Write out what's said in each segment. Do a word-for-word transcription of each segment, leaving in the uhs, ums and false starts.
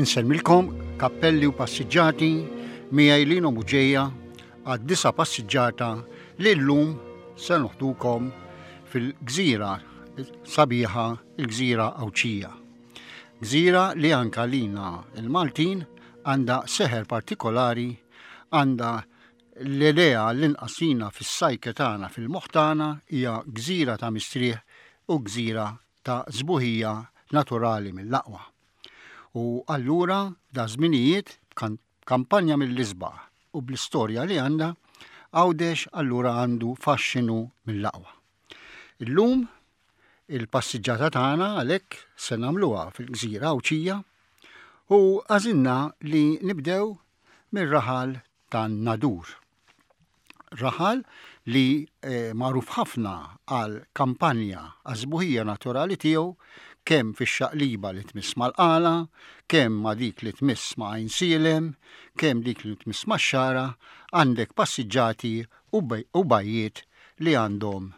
Insellmilkom kappelli u passiġġati miegħi Lino Buġeja għad-disa' passiġġata li llum se noħdukom fil-gżira sabiħa, il-gżira Għawdxija. Gżira li anka lina il-Maltin għandha seħer partikolari, għandha l-idea l-inqasina fis-sajke tagħna, fil-moħħ tagħna, hija gżira ta' mistrieħ u gżira ta' sbuħija naturali mill-aqwa. U allura da żminijiet kampanja mill-isbaħ u bl-istorja li għandha, Għawdex allura għandu faxxinu mill-aqwa. Illum il-passiġġata tagħna għalhekk se nagħmluha fil-gżira Għawdxija u għażilna li nibdew mir-raħal tan-Nadur. Raħal li eh, magħruf ħafna għal kampanja għaż-sbuħija naturali tiegħu, kemm fix-xaqliba li tmiss mal-Qala, kemm ma' dik li tmiss ma' Għajnsielem, kemm dik li tmiss max-Xagħra, għandek passiġġati u bajjiet li għandhom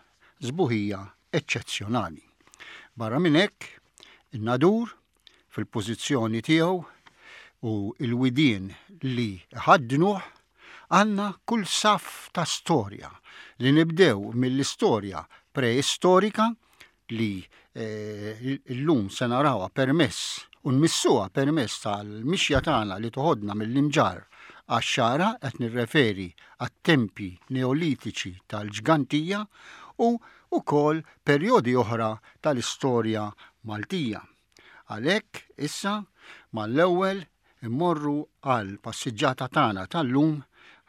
sbuħija eċċezzjonali. Barra minn hekk, in-Nadur fil-pożizzjoni tiegħu u l-widien li ħaddnuh għandna kull saff ta' storja li nibdew mill-istorja preistorika li llum se narawha permess u nmissuha permess tal-mixja tagħna li toħodna mill-Imġarr għax-Xagħra, qed nirreferi għat-tempi neolitiċi tal-Ġgantija u wkoll perjodi oħra tal-istorja Maltija. Għalhekk issa mal-ewwel immorru għal passiġġata tagħna tal-lum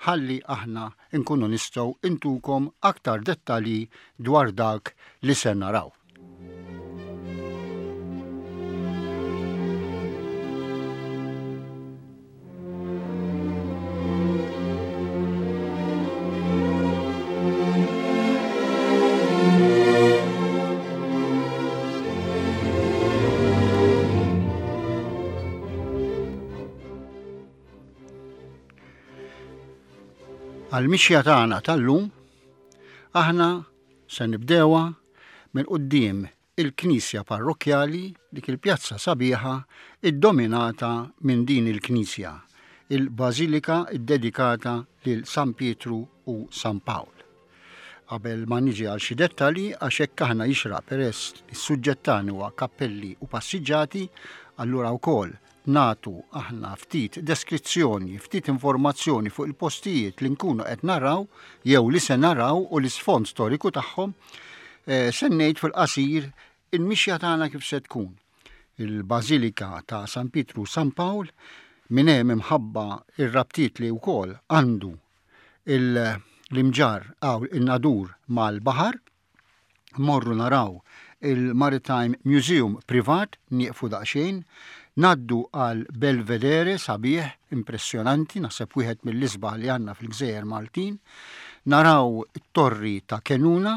ħalli aħna nkunu nistgħu intukom aktar dettalji dwar dak li se naraw. Għal-mixja tagħna tal-lum aħna se nibdewha minn quddiem il-Knisja Parrokkjali, dik il-pjazza sabiħa iddominata minn din il-Knisja, il-Bażilika ddedikata lil San Pietru u San Pawl. Qabel ma niġi għal xi dettalji, għax hekk aħna jixraq peress li s-suġġett tagħna huwa kappelli u passiġġati, allura wkoll natu aħna ftit deskrizzjoni, ftit informazzjoni fuq il-postijiet li nkunu qed naraw jew li se naraw u l-isfond storiku tagħhom, eh, se ngħid fil-qasir il-mixja tagħna kif se tkun. Il-Bażilika ta' San Pietru u San Pawl minn hemm imħabba ir-rabtiet li wkoll għandu l-Imġarr għaw in-Nadur mal-baħar, morru naraw il-Maritime Museum privat, nieqfu daqsxejn, naddu għal Belvedere sabiħ, impressjonanti, naħseb wieħed mill-isbaħ li għandna fil-Gżejjer Maltin, naraw it-torri ta' Kenuna,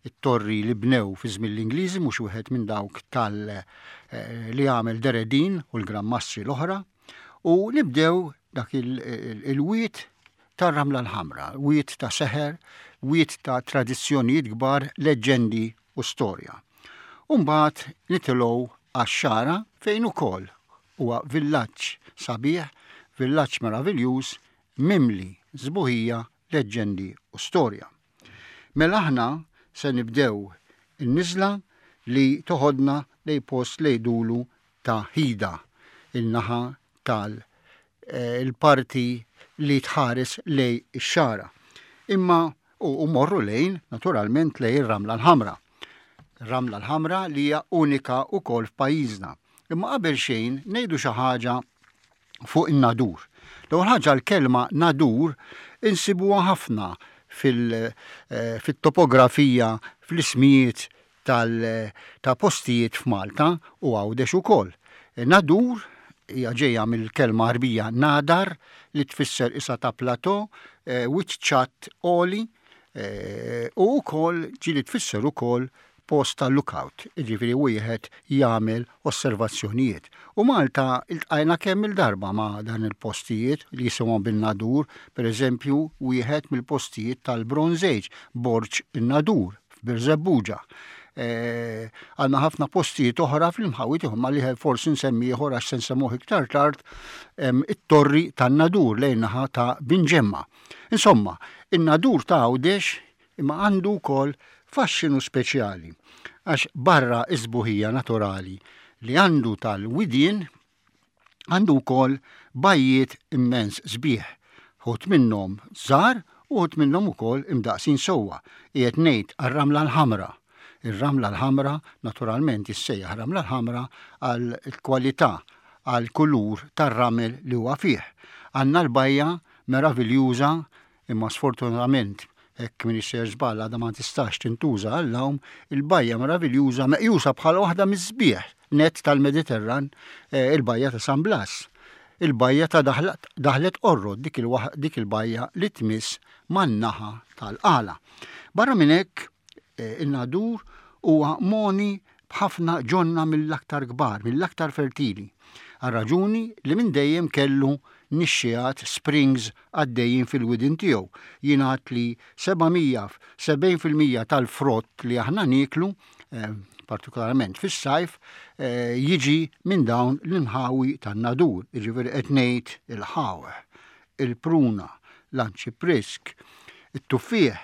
it-torri li bnew fi żmien l-Ingliżi, mhux wieħed minn dawk tal, eh, li għamel Deredin u l-Gran Mastri l-oħra, u nibdew dak il-wied tar-Ramla l-Ħamra, wied ta' seħer, wied ta' tradizzjonijiet kbar, leġġendi u storja. U mbagħad nitilgħu għax-Xagħra fejn ukoll huwa villaġġ sabiħ, villaġġ meraviljuż, mimli sbuħija, leġġendi u storja. Mela aħna se nibdew in-niżla li toħodna lej post li jdulu ta' Ħida, il-naħa tal, eh, il-parti li tħares lej ix-Xagħra. Imma u, u morru lejn, naturalment, lej ir-Ramla l-Ħamra. Ramla l-Ħamra li hija unika wkoll f'pajjiżna. Imma qabel xejn ngħidu xi ħaġa fuq in-Nadur. L-ewwel ħaġa l-kelma Nadur insibuha ħafna fil-, eh, fit-topografija, fl-ismijiet tal-, ta' postijiet f'Malta u Għawdex ukoll. Nadur hija ġejja mill-kelma Għarbija nadar li tfisser isa ta' plateau, eh, wiċċ ċatt għoli, eh, u wkoll ġieli tfisser ukoll post ta' lookout, jiġifieri wieħed jagħmel osservazzjonijiet. U Malta iltqajna kemm il-darba ma' dan il-postijiet li jisimhom bin-Nadur, pereżempju wieħed mill-postijiet tal-Bronze Age, Borġ in-Nadur f'Birżebbuġa. Għandna ħafna postijiet oħra fl-inħawi tiegħu, ma li forsi nsemmi ieħor għax se nsemmuh iktar tard, it-Torri tan-Nadur lejn naħa ta' Binġemma. Insomma, in-Nadur ta' Għawdex imma għandu wkoll faxxinu speċjali għax barra is-sbuħija naturali li għandu tal-widien, għandu wkoll bajjiet immens sbieħ, uħud minnhom żgħar u uħud minnhom ukoll imdaqsin sewwa. Qiegħed ngħid għar-Ramla l-Ħamra. Ir-Ramla l-Ħamra naturalment jissejjaħ Ramla l-Ħamra għal kwalità, għal kulur tar-ramel li huwa fih. Għandna l-bajja meraviljuża, imma sfortunatament, hekk min isser żball, għadha ma tistax tintuża għall-għawm, il-bajja meraviljuża meqjusa bħala waħda miż-sbieħ net tal-Mediterran, eh, il-bajja ta' San Blas. Il-bajja ta' Daħlet Qorrot, dik il-bajja li tmiss man-naħa tal-Qala. Barra minn hekk, eh, in-Nadur huwa moni b'ħafna ġonna mill-aktar kbar, mill-aktar fertili. Għal raġuni li minn dejjem kellu nixxiegħat, springs, għaddejjin fil-widien tiegħu. Jingħad li sebgħin fil-mija tal-frott li aħna nieklu, eh, partikolarment fis-sajf, eh, jiġi minn dawn l-inħawi tan-Nadur, jiġifieri qed ngħid il-ħawħ, il-pruna, l-anċiprisk, it-tuffieħ,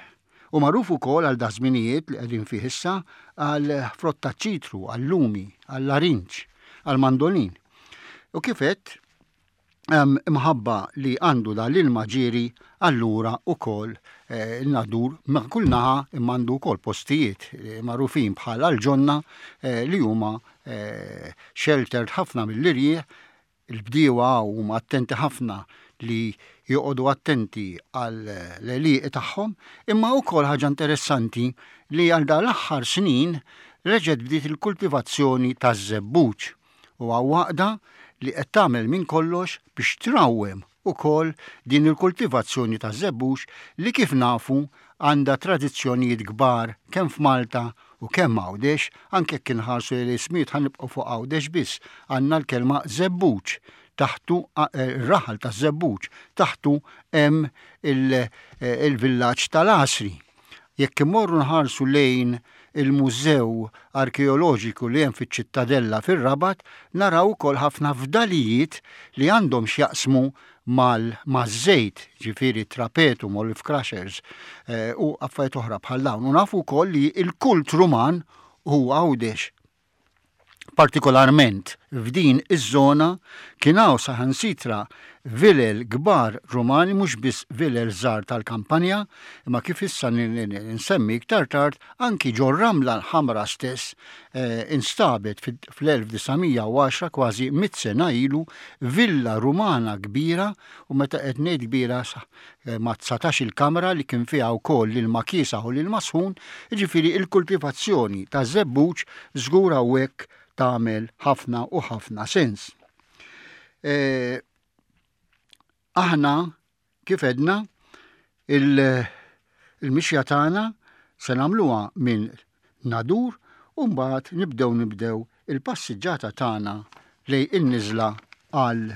u magħruf ukoll għal daż-żminijiet li qegħdin fih issa għal frott taċ-ċitru, għal-lumi, għall-larinġ, għal-mandolin. U kif għedt, imħabba li għandu da l-ilma ġieri, allura ukoll eh, il-Nadur ma' kull naħa imma għandu wkoll postijiet eh, magħrufin bħala l-ġonna eh, li huma sheltered ħafna mill-irjieħ. Il-bdiewa huma attenti ħafna li joqogħdu attenti għal l-għelieqi tagħhom, imma wkoll ħaġa interessanti li għal dan l-aħħar snin reġgħet bdiet il-kultivazzjoni taż-żebbuġ u għaqda li qed tagħmel minn kollox biex trawwem ukoll din il-kultivazzjoni ta' żebbuġ li, kif nafu, għandha tradizzjonijiet kbar kemm f'Malta u kemm Għawdex. Anke jekk inħarsu l-ismijiet, ħa nibqgħu fuq Għawdex biss, għandna l-kelma żebbuġ, taħtu eh, raħal ta' żebbuġ, taħtu hemm eh, il-villaġġ tal-Għasri. Jekk imorru nħarsu lejn il-Mużew Arkeoloġiku li hemm fiċ-Ċittadella fir-Rabat, naraw ukoll ħafna fdalijiet li għandhom x'jaqsmu mal-żejt, ġifieri trapetum, olive crushers eh, u affarijiet oħra bħal dawn. U nafu wkoll li il-kult Ruman huwa Għawdex. Partikolarment f'din iż-żona kien hawn saħansitra vilel kbar Rumani, mhux biss vilel żgħar tal-kampanja, imma kif issa nsemmi iktar tard, anki ġo Ramla l-Ħamra stess eh, instabet fl-elf disa' mija u għaxra, kważi mitt sena ilu, villa Rumana kbira, u meta qed ngħid kbira eh, ma' dsatax il-kamra li kien fiha wkoll l-ilma kiesaħ u l-ilma sħun. Jiġifieri il-kultivazzjoni ta' żebbuġ żgur hawnhekk tagħmel ħafna u ħafna sens. E, aħna kif għedna, il-mixja tagħna se nagħmluha minn Nadur u mbagħad nibdew nibdew il-passiġġata tagħna lejn in-niżla għal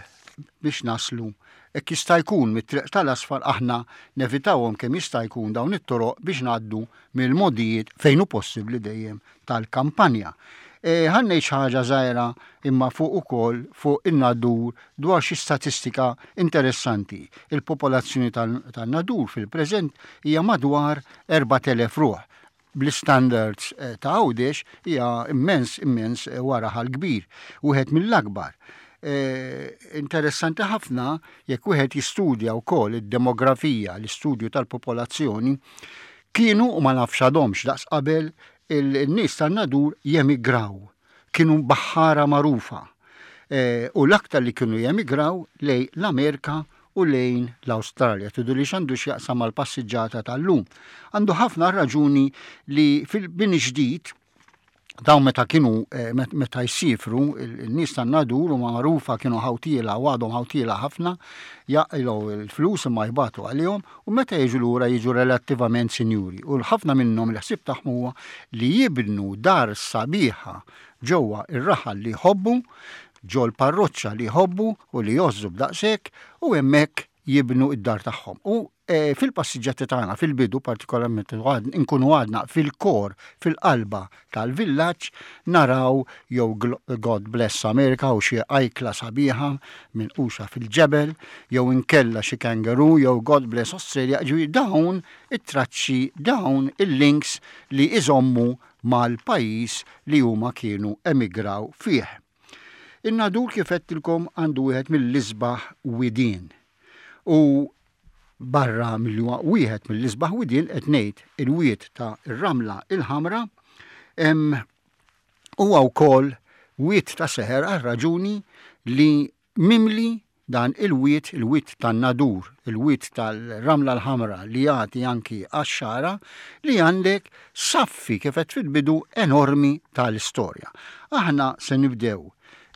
biex naslu hekk jista' jkun mit-triq tal-asfar. Aħna nevitawhom kemm jista' jkun dawn it-toroq biex ngħaddu mill-mogħdijiet, fejn hu possibbli dejjem, tal-kampanja. E, ħa ngħid ħaġa żgħira imma fuq ukoll fuq in-Nadur dwar xi statistika interessanti. Il-popolazzjoni tan-Nadur fil-preżent hija madwar erbat elef ruħ. Bl-standards eh, ta' Għawdex hija immens immens eh, wara raħal kbir, wieħed mill-akbar. E, interessanti ħafna jekk wieħed jistudja wkoll id-demografija, l-istudju tal-popolazzjoni, kienu, u ma nafx għadhomx daqs qabel, il-nies tan-Nadur jemigraw. Kienu baħħara magħrufa. E, u l-aktar li kienu jemigraw lejn l-Amerika u lejn l-Awstralja. Tgħidu li x'għandu x'jaqsam mal-passiġġata tal-lum? Għandu ħafna, raġuni li fil-bini ġdid dawn meta kienu eh, meta jsifru il-nies tan-Nadur u magħrufa kienu ħawtiela u għadhom ħawtiela ħafna, jaqilgħu il-flus imma jbatu għalihom, u meta jiġu lura jiġu relattivament sinjuri u ħafna minnhom il-ħsieb tagħhom huwa li jibnu dar sabiħa ġewwa ir-raħal li jħobbu, ġol parroċċa li jħobbu u li jgħożżu b'daqshekk, u hemmhekk jibnu id-dar tagħhom. U E, fil-passiġġati tagħna fil-bidu partikolarment nkunu għadna fil-core, fil-qalba tal-villaġġ, naraw jew God Bless America u xi ajkla sabiħa minquxa fil-ġebel, jew inkella xi kangaroo, jew God Bless Australia, ġifieri dawn it-traċċi, dawn il-links li iżommu mal-pajjiż li huma kienu emigraw fih. In-Nadur, kif għedtilkom, għandu wieħed mill-isbaħ widien. U barra milli huwa wieħed mill-isbaħ widien, qed ngħid il-wied ta' ir-Ramla il-Ħamra, huwa wkoll wied ta' seħer għal raġuni li mimli dan il-wied, il-wied tan-Nadur, il-wied tal-Ramla l-Ħamra li jagħti anki għax-Xagħra, li għandek saffi, kif għedt fil-bidu, enormi tal-istorja. Aħna se nibdew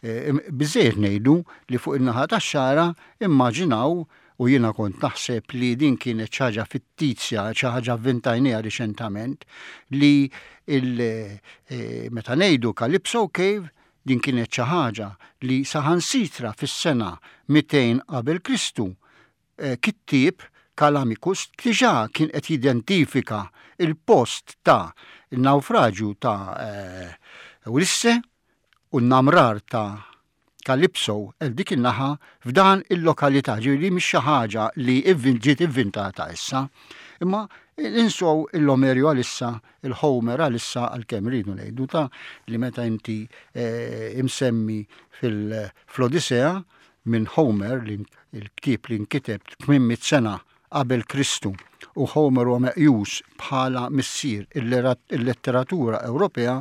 e, biżejjed ngħidu li fuq in-naħa tax-Xagħra, immaġinaw, u jiena kont naħseb li din kienet xi ħaġa fittizja, xi ħaġa avventajnieha riċentament, li il, e, meta ngħidu Calypso Cave, din kienet xi ħaġa li saħansitra fis-sena mitejn qabel Kristu e, kittieb Callimachus diġà kien qed jidentifika il-post ta' il-naufraġju ta' e, Ulisse u n-namrar ta' Calypso el dik in-naħa f'dan il-lokalità, ġifieri mhix xi ħaġa li ġiet ivvintata issa. Imma insow l-Omerio għalissa, il-Homer għalissa, għalkemm rridu ngħidu ta' li meta inti eh, imsemmi fil-Odissea minn Homer, li il-ktieb li nkiteb tmien mitt sena qabel Kristu, u Homer huwa meqjus bħala missier il-letteratura Ewropea,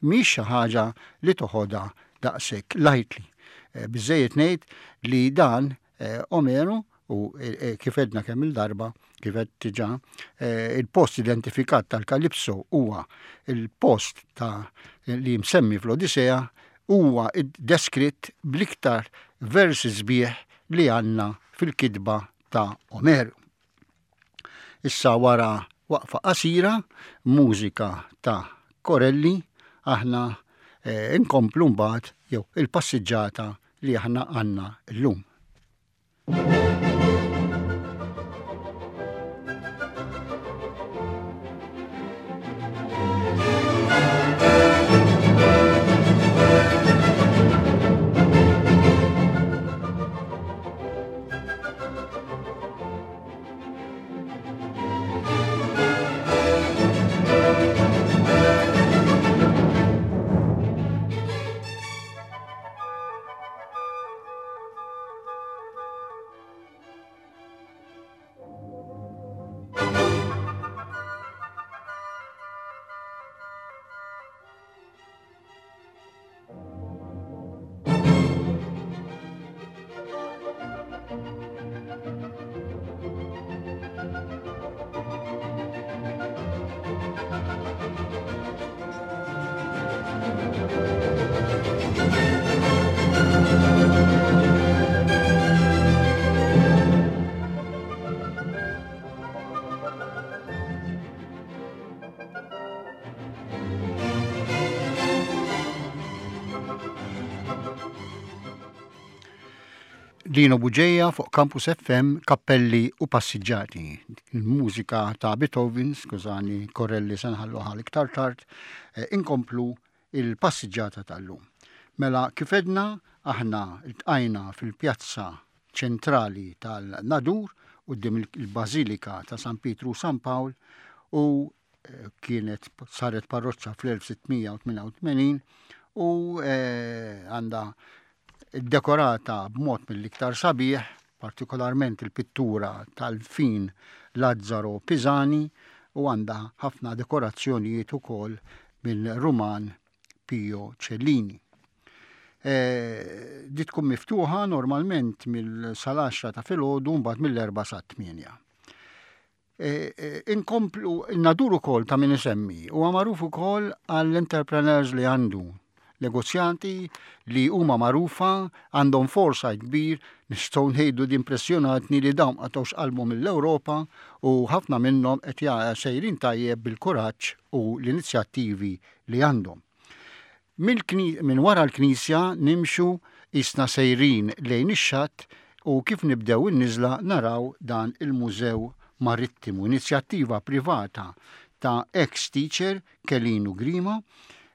mhix xi ħaġa li toħodha daqshekk lightly. Eh, biżejjed ngħid li dan eh, Omeru u eh, kif għedna kemm il-darba, kif għedt diġà, il-post identifikat tal-Kalipso huwa il-post ta' li msemmi fl-Odissea, huwa deskritt bl-iktar versi sbieħ li għandna fil-kitba ta' Omeru. Issa, wara waqfa qasira, mużika ta' Corelli, aħna inkomplu mbagħad jew il-passiġġata li aħna għandna llum. Lino Bugeja fuq Campus F M, Kappelli u Passiġġati. Il-mużika ta' Beethoven, skużani, Corelli se nħallu għal iktar tard, eh, inkomplu il-passiġġata tal-lum. Mela, kif għedna, aħna iltqajna fil-pjazza ċentrali tal-Nadur quddiem il-Bażilika ta' San Pietru u San Pawl u eh, kienet saret parroċċa fl-elf sitt mija u tmienja u tmenin u eh, għandha dekorata b'mod mill-iktar sabiħ, partikolarment il-pittura tal-fin Lazzaro Pisani, u għandha ħafna dekorazzjonijiet ukoll minn Ruman Pio Cellini. E, di tkun miftuħa normalment mill-sal-għaxra ta' filgħodu, mbagħad mill-erba' sa' tmienja. E, e, inkomplu, Nadur ukoll ta' min isemmi, huwa magħruf ukoll għall-entrepreneurs li għandu, negozjanti li huma magħrufa, għandhom foresight kbir, nistgħu ngħidu di impressjonatni li dawn qatgħux qalbhom mill-Ewropa u ħafna minnhom qed sejrin tajjeb bil-kuraġġ u l-inizjattivi li għandhom. Minn wara l-knisja nimxu isna sejrin lejn ix-xatt u kif nibdew in-niżla naraw dan il-Mużew Marittimu, inizjattiva privata ta' ex-teacher Kelinu Grima,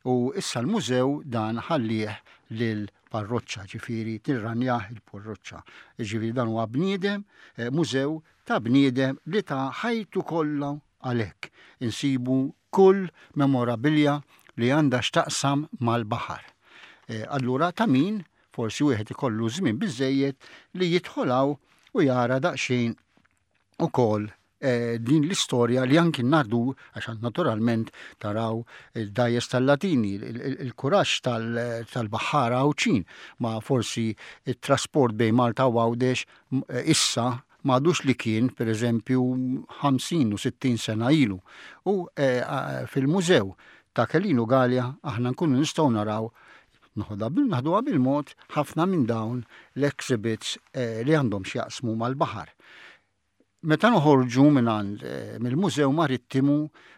u issa l-mużew dan ħallih lil parroċċa, ġifieri tirranjah il-parroċċa. Ġifieri dan huwa bniedem, eh, mużew ta' bniedem li ta ħajtu kollha għalhekk. Insibu kull memorabilja li għandha x'taqsam mal-baħar. Eh, allura ta' min forsi wieħed ikollu żmien biżejjed li jidħol u jara daqsxejn ukoll eh, din l-istorja li anki Nadur, għax naturalment taraw il-dgħajjes tal-Latini, il-kuraġġ tal-baħħara Għawdxin, ma forsi il-trasport bejn Malta u Għawdex eh, issa m'għadux li kien, per eżempju, ħamsin u sittin sena ilu. U eh, fil-mużew ta' Kelinu Galea aħna nkunu nistgħu naraw, naħduha bil-mod, ħafna minn dawn l-exhibits li għandhom x'jaqsmu mal-baħar. Meta noħorġu minn għand eh, mill-Mużew Marittimu,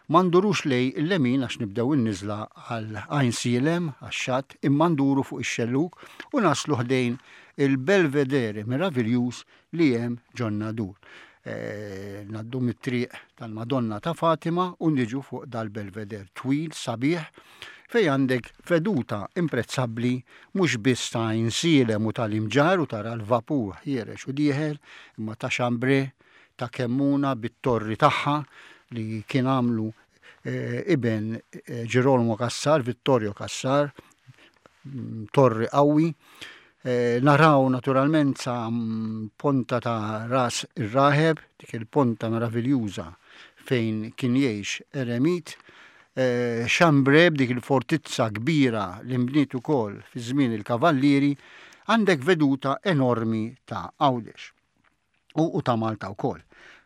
ma ndurux lejn il-lemin għax nibdew in-niżla għal Għajnsielem, għax-xatt, imma nduru fuq ix-xelluk u naslu ħdejn il-Belvedere meraviljuż li hemm ġon-Nadur. E, ngħaddu mit-triq tal-Madonna ta' Fatima u niġu fuq dal-Belvedere twil sabiħ fej għandek veduta imprezzabbli mhux biss ta' Għajnsielem u tal-Imġarr u tara l-vapur ħiereġ u dieħel, imma ta' Xambre, ta' Kemmuna bit-torri tagħha li kien għamlu eh, iben eh, Girolamo Cassar, Vittorio Cassar, mm, torri qawwi. Eh, naraw naturalment sa mm, ponta ta' Ras ir-Raħeb, dik il-ponta meraviljuża fejn kien jgħix eremit. Xambre b'dik il-fortizza kbira li nbniet ukoll fi żmien il-Kavallieri, għandek veduta enormi ta' Għawdex u ta' Malta wkoll.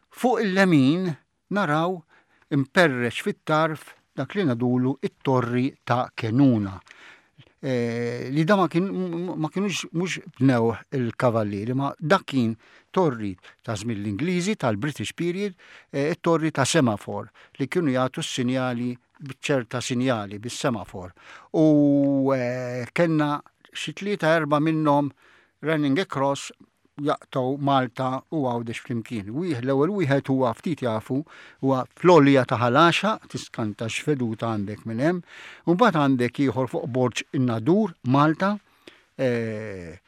Fuq il-lemin naraw imperreċ fit-tarf dak li ngħidulu it-torri ta' Kenuna. E, li da ma, kien, ma kienux mhux bnew il-kavallieri, ma dak kien torri ta' żmien l-Ingliżi tal-British period, e, it-torri ta' semafor li kienu jagħtu s-sinjali b'ċerta sinjali bis-semafor. U e, kellna xi tlieta erba' minnhom running across jaqtgħu Malta u Għawdex flimkien. Wieħed, l-ewwel wieħed huwa ftit jafu, huwa fl-għolja ta' Ħal Għaxaq, tiskanta x'veduta għandek minn hemm. U mbagħad għandek ieħor fuq Borġ in-Nadur, Malta, eh,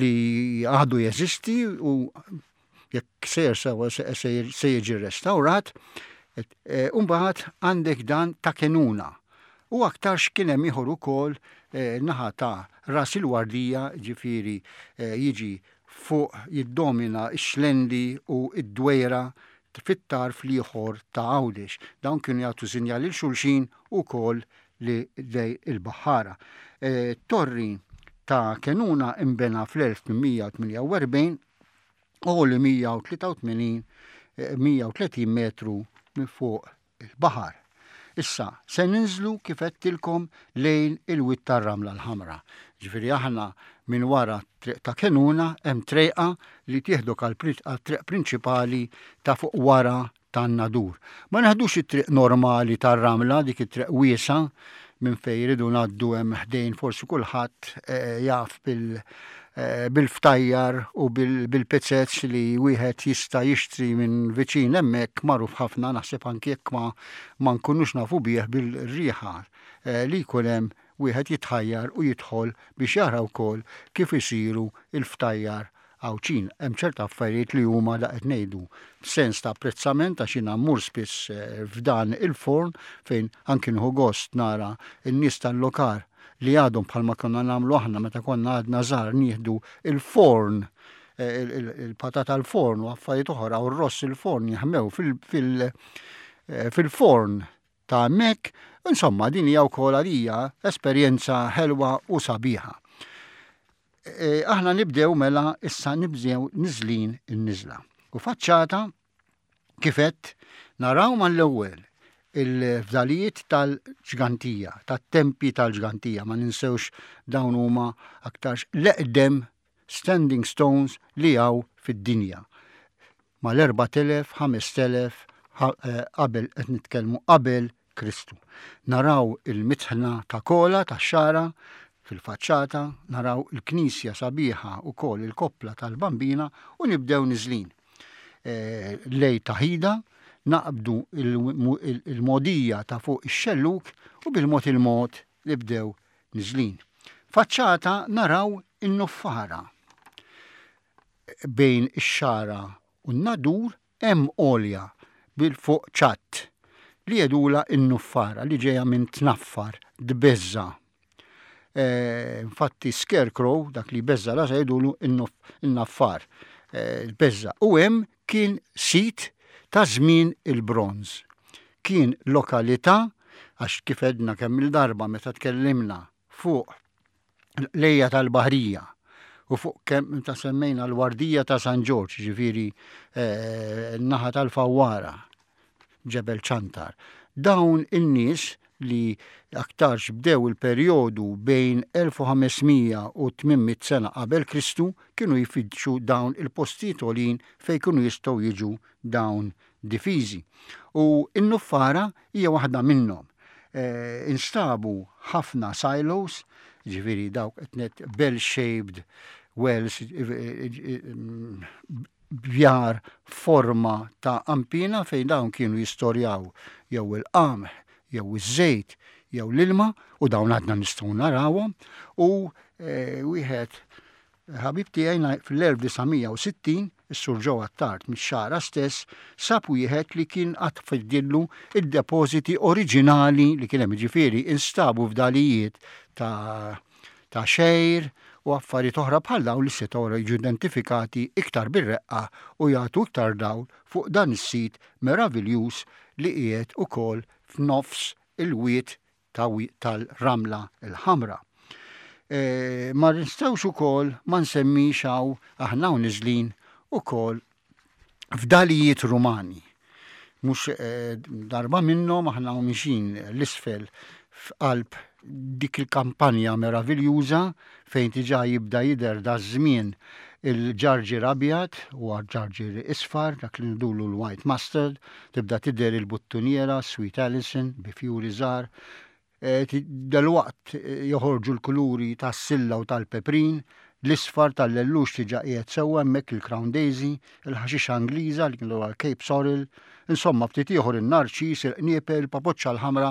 li għadu jeżisti u jekk sejjer sewa se jiġi restawrat. Eh, u mbagħad għandek dan ta' Kenuna. U aktarx kien hemm ieħor ukoll eh, naħa ta' Ras il-Wardija, ġifieri jiġi fuq jiddomina x-Xlendi u id-Dwejra fit-tarf l-ieħor ta' Għawdex. Dawn kienu jagħtu sinjali lil xulxin ukoll li dej il-baħħara. E, torri ta' Kenuna imbena fl-elf tmien mija tmienja u erbgħin u li mija u tlieta u tmenin mija u tletin metru minn fuq il-baħar. Issa, se ninżlu kif għedtilkom lejn il-Wied tar-Ramla l-Ħamra. Ġifieri aħna minn wara triq ta' Kenuna hemm trejqa li tieħdok għal triq prinċipali ta' fuq wara tan-Nadur. Ma neħdux it-triq normali tar-Ramla, dik it-triq wiesa minn fejn jridu ngħaddu hemm ħdejn, forsi kulħadd eh, jaf bil- eh, bil-ftajjar u bil-pizzets li wieħed jista' jixtri minn viċin hemmhekk, magħruf ħafna, naħseb anki jekk ma ma nkunux nafu bih bil-riħa eh, li jkun hemm, wieħed jitħajjar u jidħol biex jara wkoll kif isiru il-ftajjar Għawdxin. Hemm ċerta affarijiet li huma da qed ngħidu b'sens ta' apprezzament għax jiena mmur spiss eh, f'dan il-forn fejn anki nieħu gost nara n-nies tal-lokal li għadhom bħalma konna nagħmlu aħna meta konna għadna żgħar, nieħdu il-forn, eh, il-patata l-forn u affarijiet oħra u r-ross il-forn jaħmew eh, fil-forn ta' hemmhekk. Insomma, din hija wkoll għalija esperjenza ħelwa u sabiħa. E, aħna nibdew mela issa nibdew niżlin in-niżla. U faċċata kif għedt naraw mal-ewwel il-fdalijiet tal-Ġgantija, tat-tempi tal-Ġgantija, ma ninsewx dawn huma aktarx l-eqdem standing stones li hawn fid-dinja. Mal-erbat elef, ħamest elef qabel, qed nitkellmu qabel Kristu. Naraw il-mitħna ta' Kola ta' Xara fil-faċċata, naraw il-knisja sabiħa u kol il-koppla tal-Bambina u nibdew niżlin. lejn Ta' Ħida, naqbdu il-mogħdija ta' fuq ix-xellug u bil-mod il-mod nibdew niżlin. Faċċata naraw in-Nuffara. Bejn ix-Xagħra u n-Nadur hemm għolja bil-fuq ċatt li jgħidulha n-Nuffara li ġejja minn tnaffar, tbeżża. Infatti scarecrow, dak li jbeżża rasa jgħidulu n-naffar, tbeżża. U hemm kien sit ta' żmien il-bronż. Kien lokalità, għax kif għedna kemm il-darba meta tkellimna fuq l-lejja tal-Baħrija u fuq kemm ta' semmejna l-Wardija ta' San Ġorġ, ġifieri n-naħa tal-Fawwara, Ġebel Ċantar. Dawn in-nies li aktarx bdew il-perjodu bejn elf u ħames mija u tmien mitt sena qabel Kristu kienu jfittxu dawn il-postijiet għolin fejn kienu jistgħu jiġu dawn difiżi. U n-Nuffara hija waħda minnhom. E, instabu ħafna silos, ġifieri dawk qed bell-shaped wells, bjar forma ta' ampina fejn dawn kienu jistorjaw jew il-qamħ, jew iż-żejt, jew l-ilma, u dawn għadna nistgħu narawhom. U e, wieħed ħabib tiegħi fl-elf disa' mija u sittin, is-Sur Joe Attard mix-Xagħra stess, sab wieħed li kien qatt fidillu id-depożiti oriġinali li kien hemm, ġifieri instabu fdalijiet ta' ta' xgħir u affarijiet oħra bħal dawn li setgħu jiġu identifikati iktar bir-reqqa u jagħtu iktar dawl fuq dan is-sit meraviljuż li qiegħed ukoll f'nofs il-wied tal-Ramla l-Ħamra. E, ma nistgħux ukoll ma nsemmix hawn aħna u niżlin ukoll fdalijiet Rumani. Mhux e, darba minnhom aħna u mixin l-isfel f'qalb dik il-kampanja meraviljuża fejn diġà jibda jidher da żmien il-ġarġir abjad u ġarġir isfar, dak li ngħidulu l-white mustard, tibda tidher il-buttuniera, Sweet Alison, bi fjuri żgħar. E, Dalwaqt joħorġu l-kuluri tas-silla u tal-peprin, l-isfar tal-lellux diġà qiegħed sewwa hemmhekk, il-Crown Daisy, il-ħaxixa Ingliża li kienu l-Cape Sorrel, insomma ftit ieħor in-narċis, il-qniepel, il-papoċċa l-ħamra,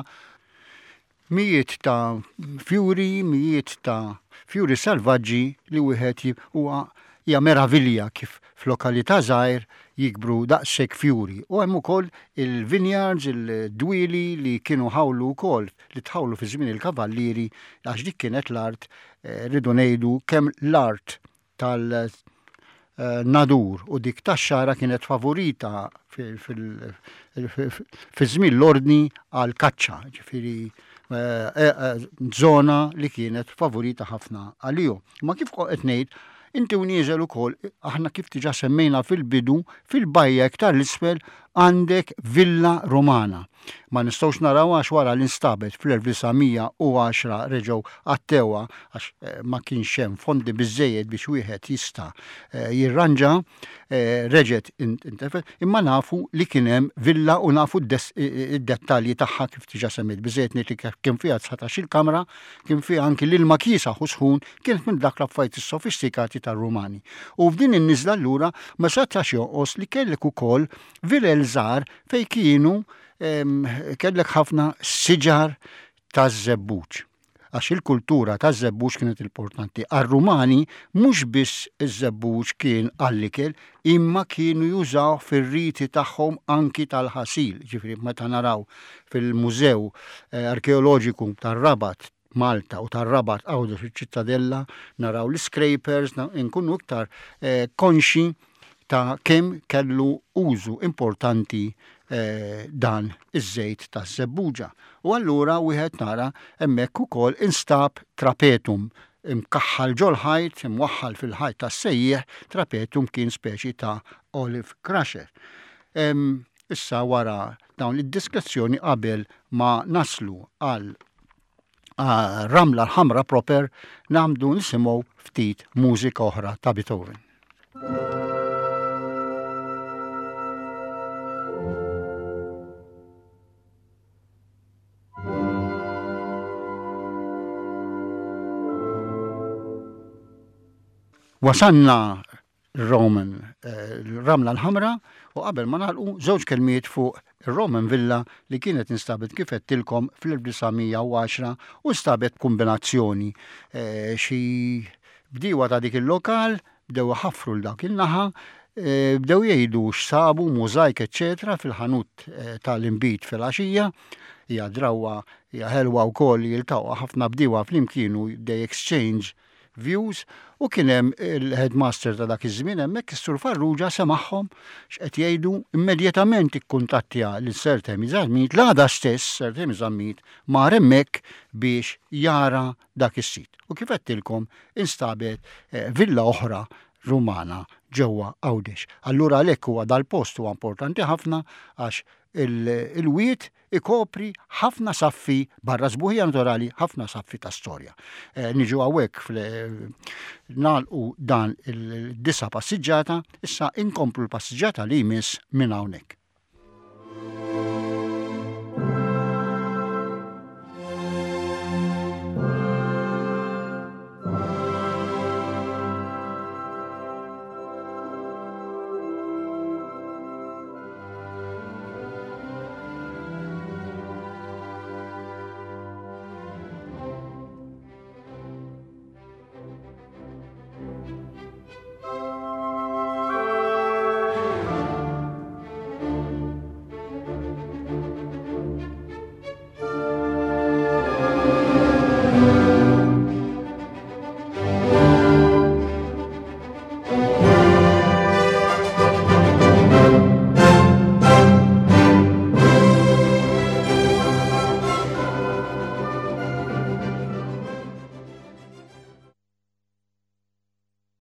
mijiet ta' fjuri, mijiet ta' fjuri salvaġġi li wieħed huwa hija meravilja kif f'lokalità żgħir jikbru daqshekk fjuri. U hemm ukoll il-vineyards, il-dwieli li kienu ħawlu wkoll, li tħawlu fi żmien il-kavallieri, għax dik kienet l-art, rridu ngħidu kemm l-art tal Nadur u dik tax-Xagħra kienet favorita fi żmien l-ordni għal kaċċa, ġifieri zona li kienet favorita ħafna għalihom. Ma kif qed ngħid, inti u nieżel ukoll, aħna kif diġà semmejna fil-bidu, fil-bajja iktar l-isfel għandek Villa Romana. Ma nistgħux naraw għax wara li instabet fl-elf disa' mija u għaxra reġgħu għattewha għax ma kienx hemm fondi biżejjed biex wieħed jista' jirranġa, reġgħet intefet, imma nafu li kien hemm villa u nafu id-dettalji tagħha kif diġà semmejt. Biżejjed ngħid li kien fiha dsatax-il kamra, kien fiha anki l-ilma kiesaħ u sħun, kienet minn dak l-affarijiet sofistikati tar-Rumani. U f'din in-niżla allura ma setax jonqos li kellek ukoll vilel żgħar fejn kienu kellek ħafna siġar taż-żebbuġ. Għax il-kultura taż-żebbuġ kienet importanti. Għar-Rumani mhux biss iż-żebbuġ kien għall-ikel, imma kienu jużaw fir-riti tagħhom anki tal-ħasil. Ġifieri meta naraw fil-Mużew Arkeoloġiku tar-Rabat Malta u tar-Rabat Għawdex fiċ-Ċittadella, naraw l-scrapers, nkunu iktar konxi ta' kemm kellu użu importanti dan iż-żejt taż-żebbuġa. U allura wieħed nara hemmhekk ukoll instab trapetum imkaħħal ġol-ħajt, imwaħħal fil-ħajt tas-sejjieħ, trapetum kien speċi ta' olive crusher. Issa wara dawn id-diskrezzjoni qabel ma naslu għal Ramla l-Ħamra proper, nagħmlu nisimgħu ftit mużika oħra ta' Beethoven. Wasanna Roman, eh, Ramla l-Ħamra, u qabel ma nagħlqu, żewġ kelmiet fuq il-Roman Villa li kienet instabet, kif għedtilkom, fl-elf disa' mija u għaxra u nstabet kombinazzjoni. Eh, xi bdiewa ta' dik il-lokal bdew ħafru l dak il-naħa, eh, bdew jgħidu x'sabu, mużajk, eċċetera, fil-ħanut tal-inbid fil-għaxija. Hija drawwa, hija ħelwa wkoll li jiltaqgħu ħafna bdiewa flimkien u they exchange views, u kien hemm il-headmaster ta' dak iż-żmien hemmhekk, is-Sur Farrugia, semagħhom x'qed jgħidu, immedjatament ikkuntattja lil Sir Temi Zammit. L-għada stess Sir Temi Zammit mar hemmhekk biex jara dak is-sit. U kif għedtilkom, instabet eh, villa oħra Rumana ġewwa Għawdex. Allura għalhekk huwa dal-post huwa importanti ħafna, għax il-wied ikopri ħafna saffi, barra sbuħija naturali, ħafna saffi ta' storja. Eh, niġu hawnhekk nagħlqu dan il-disa' passiġġata, issa inkomplu l-passiġġata li jmiss minn hawnhekk.